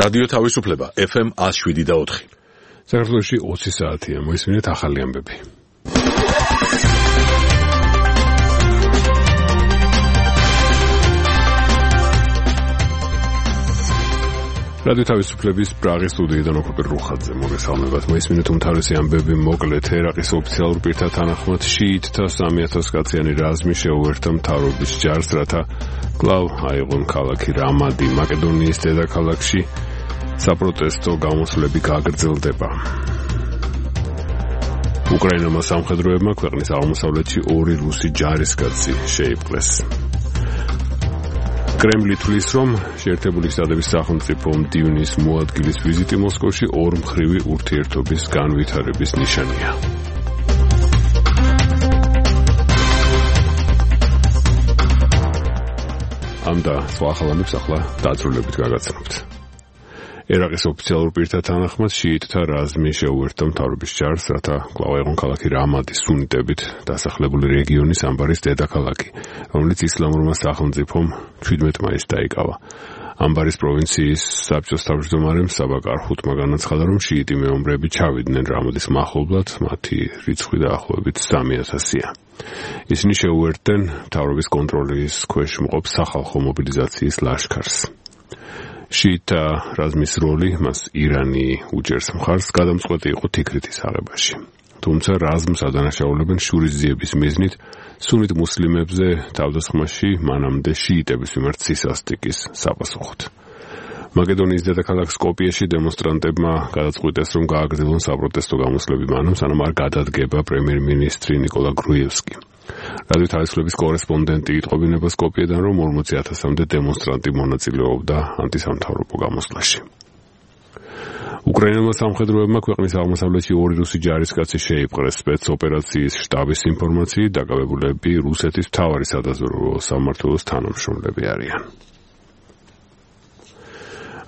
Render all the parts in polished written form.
რადიო თავისუფლება FM 107.4. საქართველოში 20 საათია, მოისმინეთ ახალი ამბები. რადიო თავისუფლების პრაღის სტუდიიდან ოქროპერ რუხაძე მოგესალმებათ. მოისმინეთ უმთავრესი ამბები მოკლედ. ერაყის ოფიციალურ პირთა თანახმად შიიტთა 3000 კაციანი რაზმი შეუერთდა მთავრობის ჯარს, რათა კვლავ აიღონ ქალაქი რამადი. მაკედონიის დედაქალაქში საპროტესტო გამოსვლები გაგრძელდება. უკრაინულმა სამხედროებმა ქვეყნის აღმოსავლეთში 2 რუსი ჯარისკაცი შეიპყრეს. კრემლი თვლის, რომ შეერთებული შტატების სახელმწიფო მდივნის მოადგილის ვიზიტი მოსკოვში ორმხრივი ურთიერთობის განვითარების ნიშანია. ამ და სხვა ახალ ამბებს ახლა დაწვრილებით გაგაცნობთ. ერაყის ოფიციალურ პირთა თანახმად შიიტთა რაზმი შეუერთდა მთავრობის ჯარს, რათა კვლავ აიღონ ქალაქი რამადი, სუნიტებით დასახლებული რეგიონის ამბარის დედაქალაქი, რომელიც ისლამურმა სახელმწიფომ 17 მაისს დაიკავა. ამბარის პროვინციის საბჭოს თავმჯდომარემ საბა კარხუთმა განაცხადა, რომ შიიტი მეომრები ჩავიდნენ რამადის მახლობლად, მათი რიცხვი დაახლოებით 3000-ია. ისინი შეუერთდნენ მთავრობის კონტროლის ქვეშ მყოფ სახალხო მობილიზაციის ლაშქარს. შიიტთა რაზმის როლი მას ირანი უჭერს მხარს, გადამწყვეტი იყო თიქრეთის აღებაში. თუმცა რაზმს ადანაშაულებენ შურისძიების მიზნით სუნით მუსლიმებზე თავდასხმაში მანამდე შიიტების მიმართ სისასტიკის საპასუხოდ. მაკედონიის დედაქალაქ სკოპიეში დემონსტრანტებმა გადაწყვიტეს, რომ გააგრძელონ საპროტესტო გამოსვლები მანამ, სანამ არ გადადგება პრემიერ-მინისტრი ნიკოლა გრუევსკი. რადიო თავისუფლების კორესპონდენტი იტყობინება სკოპიედან, რომ 40,000-მდე დემონსტრანტი მონაწილეობდა ანტისამთავრობო გამოსვლაში. უკრაინულმა სამხედროებმა ქვეყნის აღმოსავლეთში 2 რუსი ჯარისკაცი შეიპყრეს. სპეცოპერაციის შტაბის ინფორმაციით დაკავებულები რუსეთის მთავარი სადაზვერვო სამმართველოს თანამშრომლები არიან.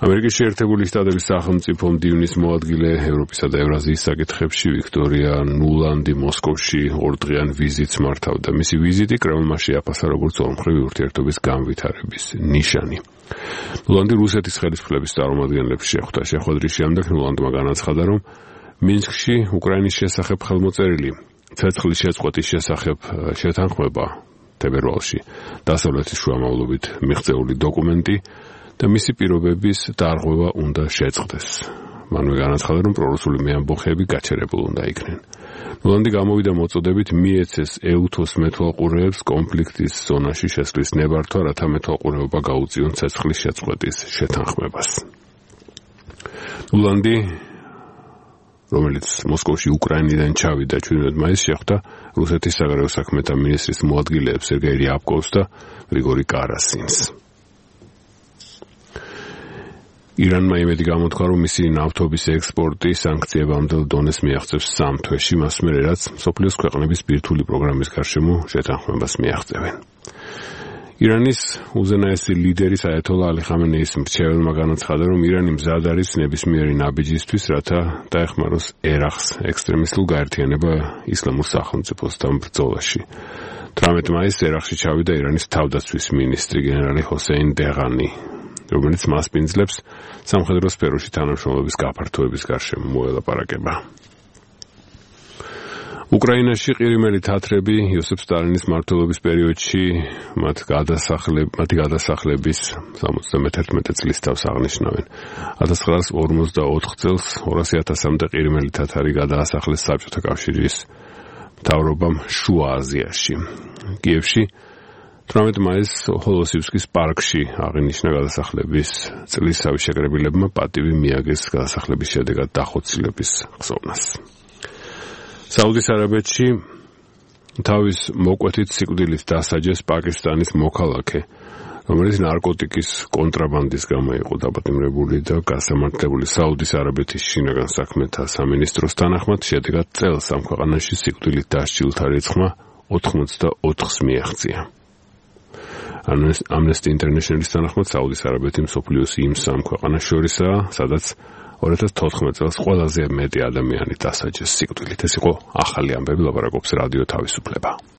ამერიკის შეერთებული შტატების სახელმწიფო მდივნის მოადგილე ევროპისა და ევრაზიის საკითხებში ვიქტორია ნულანდი მოსკოვში 2 დღიან ვიზიტს მართავდა. მისი ვიზიტი კრემლმა შეაფასა როგორც ორმხრივი ურთიერთობის განვითარების ნიშანი. ნულანდი რუსეთის ხელისუფლების წარმომადგენლებს შეხვდა. შეხვედრის შემდეგ ნულანდმა განაცხადა, რომ მინსკში უკრაინის შესახებ ხელმოწერილი ცეცხლის შეწყვეტის შესახებ შეთანხმება თებერვალში დასავლეთის შუამავლობით მიღწეული დოკუმენტი და მისი პირობების დარღვევა უნდა შეწყდეს. მანვე განაცხადა, რომ პრორუსული მეამბოხეები გაჩერებულ უნდა იქნენ. ნულანდი გამოვიდა მოწოდებით მიეცეს ეუთოს მეთვალყურეებს კონფლიქტის ზონაში შესვლის ნებართვა, რათა მეთვალყურეობა გაუწიონ ცეცხლის შეწყვეტის შეთანხმებას. ნულანდი, რომელიც მოსკოვში უკრაინიდან ჩავიდა 17 მაისს, შეხვდა რუსეთის საგარეო საქმეთა მინისტრის მოადგილეებს სერგეი რიაბკოვს და გრიგორი კარასინს. ირანმა იმედი გამოთქვა, რომ მისი ნავთობის ექსპორტი სანქციებამდელ დონეს მიაღწევს 3 თვეში, მას მერე რაც მსოფლიოს ქვეყნების ბირთვული პროგრამის გარშემო შეთანხმებას მიაღწევენ. ირანის უზენაესი ლიდერის აიათოლა ალი ხამენეის მრჩეველმა განაცხადა, რომ ირანი მზად არის ნებისმიერი ნაბიჯისთვის, რათა დაეხმაროს ერაყს ექსტრემისტულ გაერთიანება ისლამურ სახელმწიფოსთან ბრძოლაში. 18 მაისს ერაყში ჩავიდა ირანის თავდაცვის მინისტრი გენერალი ჰოსეინ დეღანი, რომელიც მას პინძლებს სამხედრო სფეროში თანამშრომლობის გაფართოების გარშემო მოელაპარაკება. უკრაინაში ყირიმელი თათრები იოსებ სტალინის მმართველობის პერიოდში მათი გადასახლების 71 წლის თავს აღნიშნავენ. 1944 წელს 200,000-მდე ყირიმელი თათარი გადაასახლეს საბჭოთა კავშირის მთავრობამ შუა აზიაში. კიევში 18 მაისს ჰოლოსივსკის პარკში აღინიშნა გადასახლების წლის შეკრებილებმა პატივი მიაგეს გადასახლების შედეგად დახოცილების ხსოვნას. საუდის არაბეთში თავის მოკვეთით სიკვდილით დასაჯეს პაკისტანის მოქალაქე, რომელიც ნარკოტიკის კონტრაბანდის გამო იყო დაპატიმრებული და გასამართლებული. საუდის არაბეთის შინაგან საქმეთა სამინისტროს თანახმად შედეგად წელს ამ ქვეყანაში სიკვდილით დასჯილთა რიცხვმა 84-ს მიაღწია. Amnesty International-ის თანახმად საუდის არაბეთი მსოფლიოს იმ 3 ქვეყანას შორისაა, სადაც 2014 წელს ყველაზე მეტი ადამიანი დასაჯეს სიკვდილით. ეს იყო ახალი ამბები, ლაპარაკობს რადიო თავისუფლება.